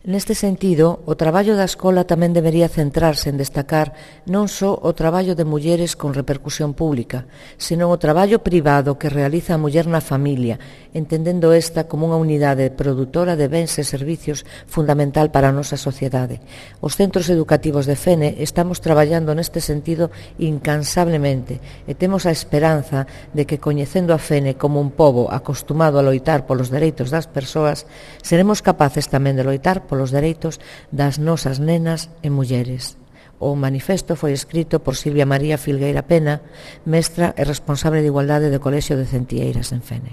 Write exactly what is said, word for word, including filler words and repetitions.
Neste sentido, o traballo da escola tamén debería centrarse en destacar non só o traballo de mulleres con repercusión pública, senón o traballo privado que realiza a muller na familia, entendendo esta como unha unidade produtora de bens e servicios fundamental para a nosa sociedade. Os centros educativos de Fene estamos traballando neste sentido incansablemente e temos a esperanza de que, coñecendo a Fene como un pobo acostumado a loitar polos dereitos das persoas, seremos capaces tamén de loitar polos polos dereitos das nosas nenas e mulleres. O manifesto foi escrito por Silvia María Filgueira Pena, mestra e responsable de Igualdade do Colexio de Centieiras en Fene.